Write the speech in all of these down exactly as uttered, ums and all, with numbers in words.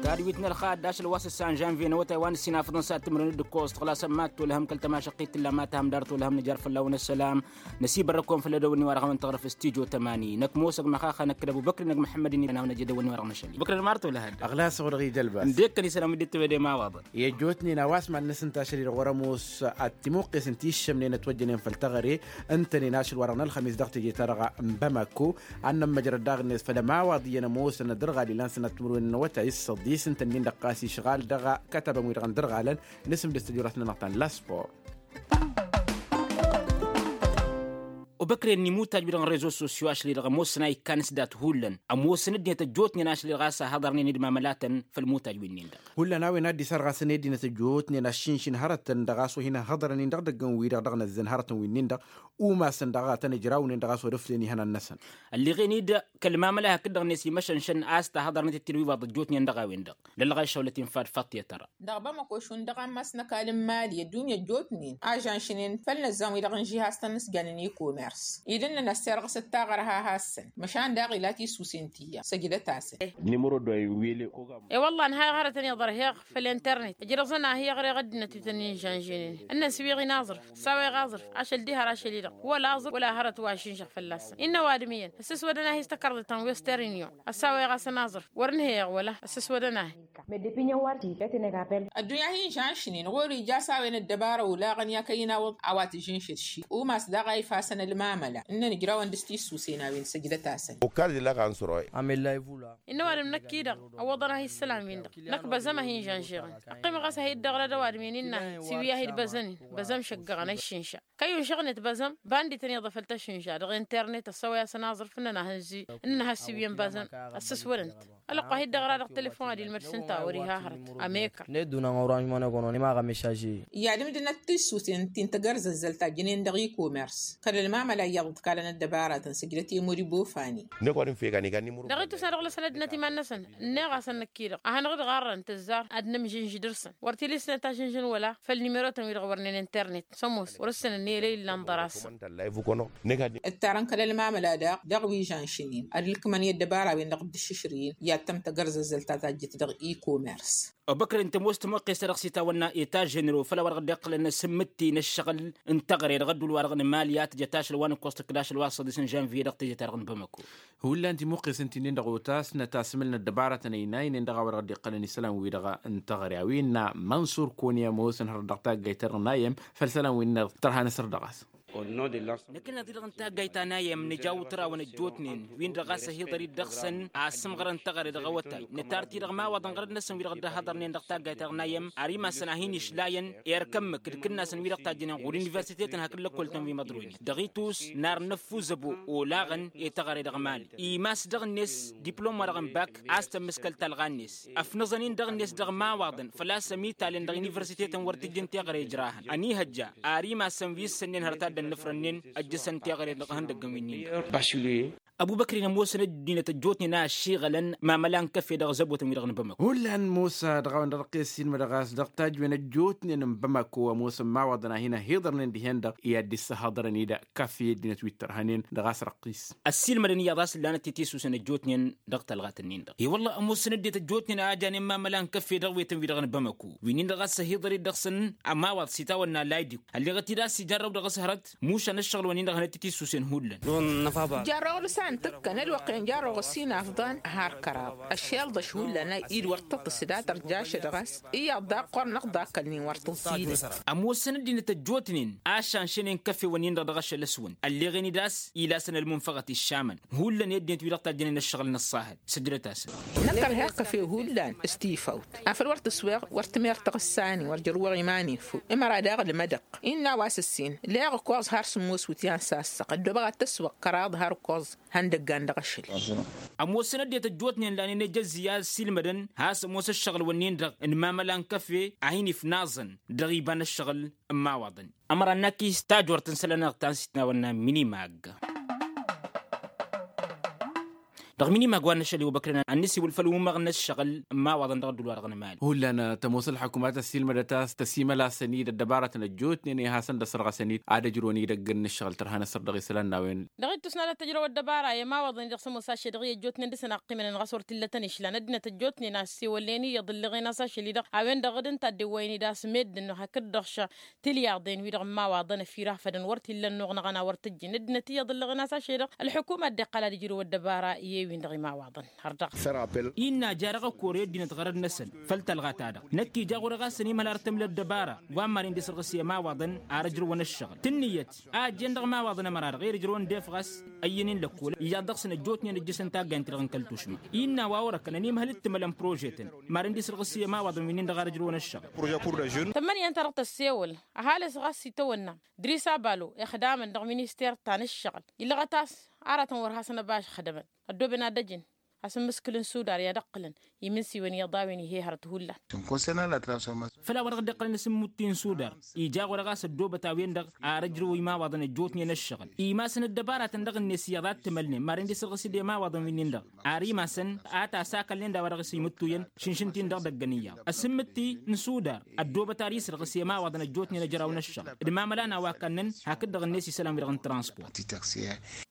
Ad-wit n-ălxadd ašăl wa s-ǝssan žănvye n-awătay wa n-ǝssin afǝḍăn s-ad-tǝmrǝn d-ǝkkoẓ tăɣlasăn mad-tolhăm kăl-tămašăqqit tǝlla ma tahăm dar tolhăm nǝjar fălla-wen ăssălam. Năsibărrăk-wen făll-edăwănni wa dăɣ-hawăn-tăɣrǝf s-tijo tămani năkk ămoos ăgg măxaxa năkk d-ăbubăkri n-ăgg măḥămmăd-in i-ad-hanăwăn ăj edăwănni wa dăɣ-năšăl. Băkri n-marto lăhădd ăɣlas-ăɣ dăɣ-ijălbas. Ǝndek-kăn isălan wi dd-tebăde ma waḍăn. I-ăjjootnen a-wa s-mad-năsǝnta ašăl-i-dăɣ wăr-ămoos ad-timuqqes n-tiššămnen ătwăjjănen făll-teɣăre ǝntănen ašăl wa dăɣ-nălxămis dăɣ-teje-ta-dăɣ n-bamako. Ad-nămmăjrăd daɣ-net făll-ămawaḍ iyyăn ămoosăn dăr-ɣali lansăn ad-timǝrwen n-awătay s-săḍis ǝntănnen-dăɣ ɣas išɣal dăɣ-kătabăn-wi-dăɣ n-dăr-ɣalăn. Nǝsǝmdǝs tăjorăt-nănăɣ ta n-laspor. Obăkren n-imutaj-wi-dăɣ n-rezo sosyo ašăl-i-dăɣ ămoosăn a ikkan s-dat hullan ămoosăn ăddinăt ăjjootnen ašăl-i-dăɣ a-s a hăḍărnen d-imamalătăn. Făll-imutaj-wi-nin-dăɣ hullan a-wen ad-dd-isarɣasăn i-ăddinăt ăjjootnen aššinšin hărătăn dăɣ-a-s wa hin-ăhhăḍărăn-in dăɣ-idăggăn-wi-dăɣ dăɣ-năzzăn hărătăn wi-nin-dăɣ. Umasăn dăɣ-a tăn-ǝjrawnen dăɣ-a-s wăr-ǝflen ihănan-năsăn. Ălleɣen-dd kăl-mamăla hakd-dăɣ-net imăšănšăn a-s tahăḍărnet d-tinǝwiwaḍ ăjjootnen dăɣ-a-wen-dăɣ. Lălɣa išăwlăt-in fad faṭṭiyăt ăra. Dăɣ-bamăko šund dăɣ-ammas n-ăkall n-imali ăddunya ăjjootnen ažănšnen făll-inǝzzan-wi-dăɣ n-žihaz-tăn n-s jannen i-komers. Idǝnnăn a-s terɣăsăt taɣărha has-săn măšan daɣ ila tisusen ti iyyăn săjdăt-asăn. I-wălla ǝnhayăɣ hărătăn iḍărheɣ făll-internet ǝjrăẓăn a hi-iɣreɣ ăddinăt wi tăn-in-žănžănen ǝnnăn s-wi ɣin aẓrǝf. Ăssawăyăɣ aẓrǝf ašăl diha ar ašăl-i-dăɣ wăla aẓrǝf wăla hărăt wa ašǝnžăɣ fălla-săn. Innă ăwadǝm iyyăn ăssăswădăn-ahi s-takărḍit ta n-western union. Ăssawăyăɣ-asăn aẓrǝf wăr ǝnhăyăɣ wăla ăssăswădăn-ahi. Ăddunya hin-žănšnen ɣur-ija s-a-wen ăddăbara olaɣăn i-akăyy n-awǝḍ a-wa tǝžǝnšǝd ši umas daɣ a ifasăn ălmamăla ǝnnăn ǝjrawăn dăɣ-s tissusen a-wen săjdăt-asăn. Innă ăwadǝm năkk-i-dăɣ ăwwăḍăn-ahi ǝssălan-win-dăɣ. Năkk băzăm a hin-žănžeɣăn. Ăqqimăɣ a-s a hi-dd-ăɣrăd ăwadǝm-en innă-hi s-iwǝy a hi-dd-băzăn-in băzăm šăggăɣăn ăššinša. Kăy-unšăɣnet băzăm bandităn iḍa făll-tăššinša dăɣ-internet ăssăwăy-asăn aẓrǝf ǝnnăn a hăn-zi ǝnnăn a has-iwǝyăn băzăm. Ăssăswădăn-t ălwăqq a hi-dd-ăɣra dăɣ-telefon ad-ilmăd šund ta wăr-iha hărăt. Ămekăr. Ned-dun ănɣăruanš mănăɣ-onăɣ n-imaɣ ămešaže. I-ad-ǝmdǝnăt tissusen ti n-tagărzazzălt ta jǝnen dăɣ-e-komers. Kăl-ălmamăla iyyăḍ ǝḍkalăn ăddăbaratăn săjdăt i-muribofani. Dăɣ-itusna dăɣ-lăsăn ăddinăt iman-năsăn ǝnneɣ-asăn năkk-i-dăɣ a hanăɣ-dd-ɣarrăn tǝzzar ad-nǝmžǝnžǝd ǝrsăn. Wăr t-ila isnăt ažǝnžǝn wăla făll-nimerotăn-wi-dăɣ wăr nǝnǝnternet s-ămoos wăr-ǝssǝnăn i-lăy illan ḍăr-asăn. Ǝttarăn kăl-ălmamăla daɣ dăɣ-wi žănšǝn-in ad-ǝlkǝmăn i-ăddăbara-wen-dăɣ dd-ǝššǝšrǝyǝn i-ad-tăm tagărzazzălt ta tajjǝt dăɣ-e-komers. Ăbăkrăd n-tămoos tămoqqes-ta-dăɣ s-itawănna eta ženero făll-a-wa dăɣ-dd-iqqǝlăn s-ǝmmǝtti n-ǝššăɣǝl n-teɣăre dăɣ-ădduul-wa-dăɣ n-emali a tǝjăt ašăl wa n-ǝkkoẓ tǝkkǝd ašăl wa n-săḍis n-žănviye dăɣ-teje-ta-dăɣ n-bamăko. Hullan timuqqes ǝnta-nin-dăɣ otasnăt asmǝl n-ăddăbarătăn ăynaynen dăɣ-a-wa dăɣ-dd-iqqălăn isălan-wi-dăɣ n-teɣăre a-wen mănṣur kăwăn-i ămoosăn hărăt dăɣ-taggayt-ta-dăɣ n-ayyăm. Făll-isălan-wi-dăɣ tărha nǝsăr dăɣ-a-s. Năkk ănnaḍ-i-dăɣ n-taggayt ta n-ayyăm nǝja utraw n-ăjjootnen-win-dăɣ a-s ăhiḍăr-dd dăɣ-săn a ăssǝmɣărăn teɣăre dăɣ-awătay nǝtar-t-i-dăɣ imawaḍăn ɣărăt-năsăn wi-dăɣ dd-ăhhăḍărnen dăɣ-taggayt-ta-dăɣ n-ayyăm ar imassăn a hin-išlayăn erk ămmǝk d-kǝnnasăn wi-dăɣ tajjănen ɣur-universitetăn hakd lăkkol-tăn wi măḍroynen dăɣ-itus n-ar năffuzăbo olaɣăn i-teɣăre dăɣ-mali. Imass dăɣ-net diplom-wa-dăɣ n-bak a-s tămmǝskăl talɣa-net. Ăfnăẓăn-in dăɣ-net dăɣ-imawaḍăn făl-a-s ămitalăn dăɣ-universitetăn wăr t-ǝjǝn teɣăre ǝjrahăn ănihăjja ar imassăn wi ǝssănnen hărăt a dd-ănnǝfrănnen. Ăjjăsăn teɣăre dăɣ-ihăndăggăn wi-nin-dăɣ. Ăbubăkri n-ămoosăn ăddinăt ăjjootnen a ăššiɣălăn mamăla n-kăfe dăɣ-zăbotăn-wi-dăɣ n-bamăko. Hullan mosa dăɣ-a-wen dăɣ-răqqes silmădăɣ a-s dăɣ-tajwen ăjjootnen n-bamăko ămoosăn imawaḍăn a hin-ăhiḍărnen dihen-dăɣ i-ad-dd-issăhăḍărăn-dd kăfe ăddinăt wi t-ărhănen dăɣ-a-s răqqis. Ăssiilmădăn iyyăḍ a-s ǝllanăt i-tisusen ăjjootnen dăɣ-talɣat-nin-dăɣ i-wălla ămoosăn ăddinăt ăjjootnen a janen mamăla n-kăfe dăɣ-wetăn-wi-dăɣ n-bamăko wi-nin-dăɣ a-s ăhiḍăr-dd dăɣ-săn ămawaḍ s-itawănna laydik. Ălleɣăt-dd a-s ijarrăw dăɣ-s hărăt mušan ăššăɣǝl-wăn-in-dăɣ hănăt i-tisusen hullan. Jarrăw dăɣ-san tǝkkăn ălwăqq-en jarrăw ɣǝs-in afḍăn har kăraḍ ăššelḍăš hullan a-i d-wăr tǝḍǝs datăr jašăd ɣas iyyăḍ daɣ ɣur-năɣ d-akălnen wăr tǝẓẓidăn. Ămoosăn ăddinăt ăjjootnen a šanšănen kăfewăn-in-dăɣ dăɣ-ašăl ăswăn ălleɣen-dd a-s ila a-s n-ălmunfăɣăt iššamăn hullan i-ăddinăt-wi-dăɣ tajjănen ăššăɣǝl n-ăṣṣahăd. Săjdăt-asăn. Năkk ărheɣ kăfe hullan s-tifawt afăl wăr tǝsweɣ wăr tǝmer taɣǝssa-nin wăr jăr-wăɣ iman-i făw ǝmăra daɣ ălmădăɣ. Innă a-wa s-ǝssin leɣ ǝkkoẓ har sǝmmos wǝtyan s-assăɣ ăddoobăɣ ad-t-ăswăɣ kăraḍ har ǝkkoẓ. Hăn dăggan dăɣ-ašăl. Ămoosăn ăddinăt ăjjootnen lanen ejăzzi a ăssiilmădăn has-ămoos ăššăɣǝl-wǝnnin-dăɣ n-imamăla n-kăfe a hin-ifnaẓăn dăɣ-iba n-ăššăɣǝl n-imawaḍăn. Ămăra n-akis tajort n-isălan-nănăɣ ta n-sitnawănna mini-mag. Dăɣ-minimag wa n-ašăl i-obăkrăn ad-nǝsiwǝl făll-umăɣ n-ăššăɣǝl n-imawaḍăn dăɣ-ăddul-wa-dăɣ n-emali. Hullan tămoos ălḥăkumat ăssiilmădăt a-s tăsimălasăn-dd ăddăbarătăn ăjjootnen i-hasăn-dd-ăsrăɣăsăn-dd ad-ăjrăwăn idăgg n-ǝššăɣǝl tărha n-asăr dăɣ-isălan n-a-wen. Dăɣ-ittus n-ad-ăttăjrăw ăddăbara i-imawaḍăn-i-dăɣ s-ămoos ašăl-i-dăɣ i-ăjjootnen dăr-săn aqqimăn n-ɣas wăr t-illătăn išlan ăddinăt ăjjootnen a ăssewălnen-i iyyăḍ ǝlleɣen a-s ašăl-i-dăɣ a-wen-dăɣ d-ǝnta a dd-iwwăyăn-dd a-s meddǝn hakd-dăɣ š-tilyaḍen-wi-dăɣ n-imawaḍăn ăfirafădăn wăr t-illa ănnuɣ năɣ-ănn a wăr t-ǝjjǝn ăddinăt iyyăḍ ǝlleɣen a-s ašăl-i-dăɣ ălḥukuma a dd-iqqal ad-ǝjrǝw ăddăbara i-ewin dăɣ-imawaḍăn. Har dăɣ-s. Innă ja dăɣ-ăkkorew ăddinăt ɣărăd-năsăn făll-talɣa-ta-dăɣ năkk ija ɣur-e ɣas ănimhăl ar tǝmla ăddăbara wa n-maren d-isărɣǝs i-imawaḍăn ar ǝjrǝwăn ăššăɣǝl tǝnnǝyăt a ăjjeen dăɣ-imawaḍăn ămăra-dăɣ i-ad-ǝjrǝwăn d-efɣas ăyyăn-in lăkkol iyyăḍ dăɣ-săn ăjjootnen ǝjjǝsăn taggayăn-ti-dăɣ n-kăl-tušma. Innă a-wa wărăkăn ănimhăl d-tǝmălăn prožetăn maren d-isărɣǝs i-imawaḍăn wi-nin-dăɣ ar ǝjrǝwăn ăššăɣǝl. Tămmănǝya ǝnta-dăɣ tăssewăl ăhalǝs ɣas itawănna dris abalo ixdamăn dăɣ-minister ta n-ǝššăɣǝl illăɣăt a-s aratăn wăr hasăn-ăbašăxdămăn ăddooben ad-ăjǝn asǝmmǝskǝl n-sudar i-ad-ǝqqǝlăn imǝnsiwăn iyyăḍ a-wen ih'-e hărăt hullan. Făll-a-wa-dăɣ dd-iqqălăn asǝmmǝtti n-sudar ija ɣur-e ɣas ăddoobăt a-wen-dăɣ ar ǝjrǝw imawaḍăn ăjjootnen ăššăɣǝl imasăn ăddăbaratăn dăɣ-net iyyăḍ a t-tǝmălnen maren d-isărɣǝs-dd i-imawaḍăn wi-nin-dăɣ ar imasăn a tasakălnen d-a-wa dăɣ-s imǝttuyăn šǝnšǝn-t-in-dăɣ dăgg-ănn iyyăḍ asǝmmǝtti n-sudar ăddoobăt ar isărɣǝs i-imawaḍăn ăjjootnen ăjraw n-ăššăɣǝl d-mamăla n-a-wa kannăn hakd-dăɣ-net isălan-wi-dăɣ n-transport.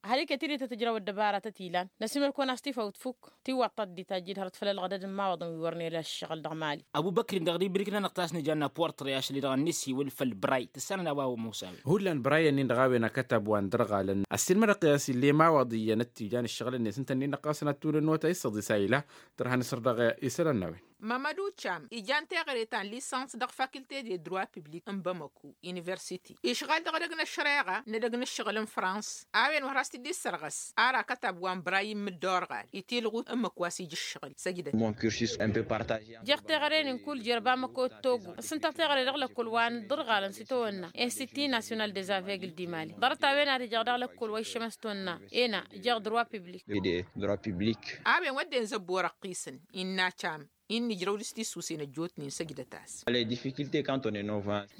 Ăhalǝket-dd tăt-ǝjraw ăddăbarătăt ilan năsimăl-kăwăn a-s tifawt fukk tiwwaḍt ta dd-itajjǝd hărăt făll-ălɣădăd n-imawaḍăn wi wăren ila ăššăɣǝl dăɣ-mali. Ăbubăkri dăɣ-dibrik-nănăɣ tasnǝja n-aportre ašăl-i-dăɣ ănnis-iwǝl făll-bray tǝssanăn a-wa ămoos a-wen. Hullan bray-nin-dăɣ a-wen akătab wa n-dărɣalăn ăssiilmădăɣ-t i-a-s ill'-e imawaḍ iyyăn ăttija n-ǝššăɣǝl-net ǝnta-nin-dăɣ ɣas ănattul ănnuwăt a issăḍis a ila tărha n-asăr dăɣ-isălan n-a-wen. Mamădu cam ijan teɣăre ta n-lisăns dăɣ-fakilte de droi piblik n-bamăku universiti išɣal dăɣ-edăgg n-ăššăreɣa n-edăgg n-ǝššăɣǝl n-frans a-wen wăr has-t-dd-issărɣăs ar akătab wa n-bray n-imǝdda orɣal itilɣut ǝmmǝk wa s-ija ǝššăɣǝl săjdăt. Jeɣ teɣăre-nin kull jer-bamăko d-togo s-ǝnta teɣăre dăɣ-lăkkol wa n-dd-ărɣalăn s-itawănna institut national des aveugles di mali ḍarăt a-wen ad-ǝjăɣ dăɣ-lăkkol wa iššămăs tonna ena jeɣ droi piblik. A-wen wădden zăbbo răqqisăn innă cam innă ijrăw dăɣ-s tissusen ăjjootnen săjdăt-as.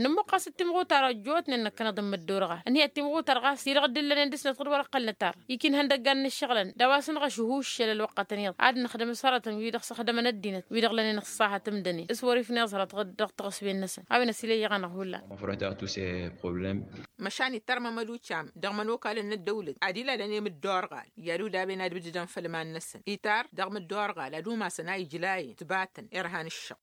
Nǝmmuqqăs d-timɣutar ăjjootnen năkkăneḍ n-imǝdda orɣal ǝnhǝyăt timɣutar ɣas ti-dăɣ dd-illănen dăɣ-snăt ɣǝd wăr-ăqqălnăt ar ikinhăn dăggan n-ǝššăɣǝlăn d-a-wa s-năɣ ašǝhuššăl ălwăqqătăn iyyăḍ ad-nǝxdǝm s-hărătăn wi-dăɣ s-ăxdămăn ăddinăt wi-dăɣ lănen ăṣṣahat ǝmdănen s-wăr-ifnǝy aẓrăt ɣǝd dăɣ-taɣǝswen-năsăn a-wen ăsilăyyăɣ-anăɣ hullan. Măšan ittar mămădu cam dăɣ-imănokalăn n-ăddăwlăt ad-ilalăn i-imǝdda orɣal i-ad-udaben ad-ǝbdǝdăn făll-iman-năsăn itar dăɣ-imǝdda orɣal ad-umasăn a ijlayăn tǝbatăn irha n-ǝššăɣ.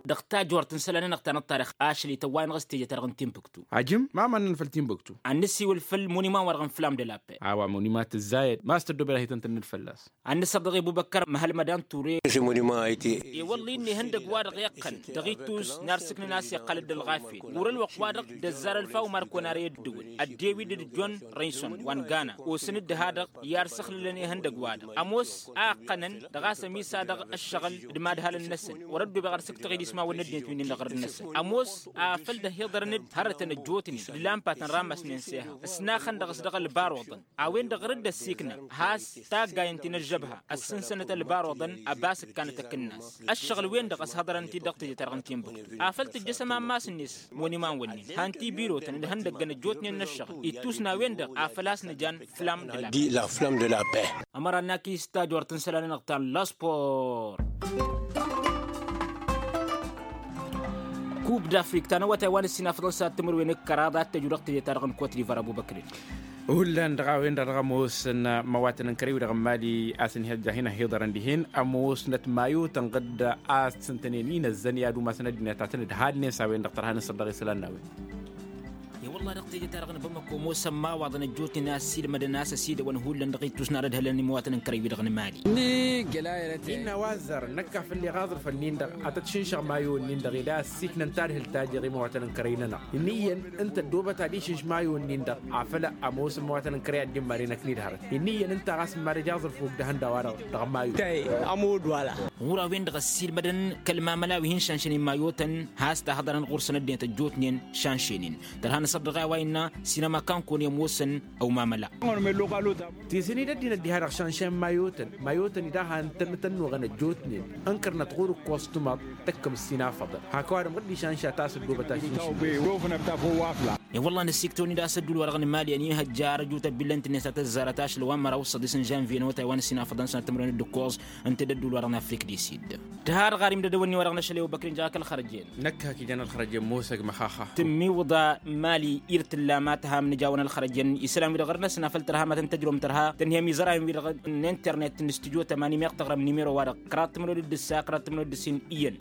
Dăɣ-tajort n-isălan-nănăɣ ta n-ăṭṭarix ašăl-i tăwway-năɣ s-teje-ta-dăɣ n-timbuktu. Ajǝm ma mannăn făll-timbuktu. Ad-nǝsiwǝl făll-monuman-wa-dăɣ n-flam de la paix. A-wa monuman tǝzzayăd ma s-tăddoobed ad-hi-tăn-tǝnnǝd fălla-s. Ad-nǝsăr dăɣ-i bubăkkăr măhăl mădan ture. E-wălla-i n-ihăndăg-wa-dăɣ iqqăn dăɣ-ittus n-arsǝknăn a-s iqqăl-dd ălɣafyăt ɣur-ălwăqq-wa-dăɣ d-ăzzar ălfaw markon ar i-ăddǝwǝl ăddew-dd d-john rayson wa n-gana osăn-dd dăha-dăɣ i-arsăxlǝlăn ihăndăg-wa-dăɣ ămoos a ǝqqănăn dăɣ-a-s ămisa dăɣ-ăššăɣǝl d-imadhalăn-năsăn wăr-ăddobeɣ ad-sǝktăɣ idismawăn n-ăddinăt wi-nin-dăɣ ɣărăt-năsăn ămoos afăl dd-ăhiḍărăn-dd hărătăn ăjjootnen d-lampa tăn-rammasnen s-ehăɣ s-naxăn dăɣ-s dăɣ-ălbaruḍăn a-wen-dăɣ ɣur-dd-ăssiiknăɣ has-taggayăn ti n-ăžžăbha ăssǝnsănăt ălbaruḍăn ăbas ǝkkanăt akǝnnas ăššăɣǝl-wen-dăɣ ăshăḍărăn-t-dd dăɣ-teje-ta-dăɣ n-timbuktu afăl tǝjjăsăm ammas-net moniman-wǝnnin han-tibirotăn d-ihăndăggăn ăjjootnen n-ăššăɣǝl ittus n-a-wen-dăɣ a făl a-s nǝjan flam d-la paix. Ămăra n-akǝy s-tajort n-isălan-nănăɣ ta n-laspor. Kub d-afrik ta n-awătay wa n-ǝssin afḍăn s-ad-timǝrwen d-kăraḍ ad-tăju dăɣ-teje-ta-dăɣ n-kot divar ăbubăkrin. Hullan dăɣ-a-wen-dăɣ dăɣ-ămoosăn imăwatăn n-kărăy-wi-dăɣ n-mali a-s ǝnhăjja hin-ăhhiḍărăn dihen ămoosnăt mayotăn ɣǝdda a-s t-sǝntănen inăzzăn i-ad-umasăn ăddinăt a tăn-dd-hadnen s-a-wen-dăɣ tărha n-asăr dăɣ-isălan n-a-wen. I-wălla dăɣ-teje-ta-dăɣ n-bamăko ămoosăn imawaḍăn ăjjootnen a ăssiilmădăn a-s ăsidăwăn hullan dăɣ-ittus n-ad-ădhălăn imăwatăn n-kărăy-wi-dăɣ n-mali. Innă wa ăzzarăn năkk afăl iɣaẓrǝf ǝnnin-dăɣ ad-tăt-šǝnšăɣ mayo-ǝnnin-dăɣ ed a ăssiiknăn tadhǝlt ta jer-imăwatăn n-kărăy-nănăɣ ǝnniyăn ǝnta ăddoobăt ad-išǝnš mayo-ǝnnin-dăɣ afăl ămoos imăwatăn n-kărăy ad-dd-imaren ăknid hărăt ǝnniyăn ǝnta ɣas n-mad-ăj aẓrǝf ogdăhăn d-a-wa-dăɣ dăɣ-mayo. Ɣur-a-wen-dăɣ ăssiilmădăn kăl-mamăla wi hin-šănšăn i-mayotăn has-tahăḍărăn ɣur-săn ăddinăt ăjjootnen šănšenin. Tărha n-asăr-dăɣ Ɣa wa innă sinăma kankun i-ămoosăn ăwmamăla. Tisăn-i d-ăddinăt diha-dăɣ šanšen mayotăn mayotăn-i daɣ han tăn-tăn-nuɣăn ăjjootnen. Ǝnkărnăt ɣur-ǝkkoẓ tumăḍ tăkkăm s-inafăḍăn hak ăwadǝm ɣǝddi šanša ta s-ăddoobăt ašǝnšǝn. E-wălla n-ăssiktăwăn-dd a-s ădduul-wa-dăɣ n-mali ănihăjja arăjut ăbillăn-t-net ad-tăzzarăt ašlăw amăraw s-săḍis n-žănvye n-awătay wa n-ăsinafăḍăn sănăt timǝrwen d-ǝkkoẓ ǝnta d-ădduul-wa-dăɣ n-afrik di sid. Tǝha-dăɣ ɣarim d-edăwănni-wa-dăɣ n-ašăl i-obăkri n-jăɣ akăl xărăjen. Năkk hak ijan ălxărăjen mosăg măxaxa. Tǝmmiwǝḍa mali ir tǝlla ma tǝham n-ijawăn ălxărăjen isălan-wi-dăɣ ɣur-năsăn afăl tărha ma tăn-tăjrǝwăm tărha tǝnhǝyăm izărayăn-wi-dăɣ n-internet n-stujo tămani meɣ tăɣrăm nimero-wa-dăɣ kăraḍ timǝrwen d-ǝssa kăraḍ timǝrwen d-ǝssin iyyăn.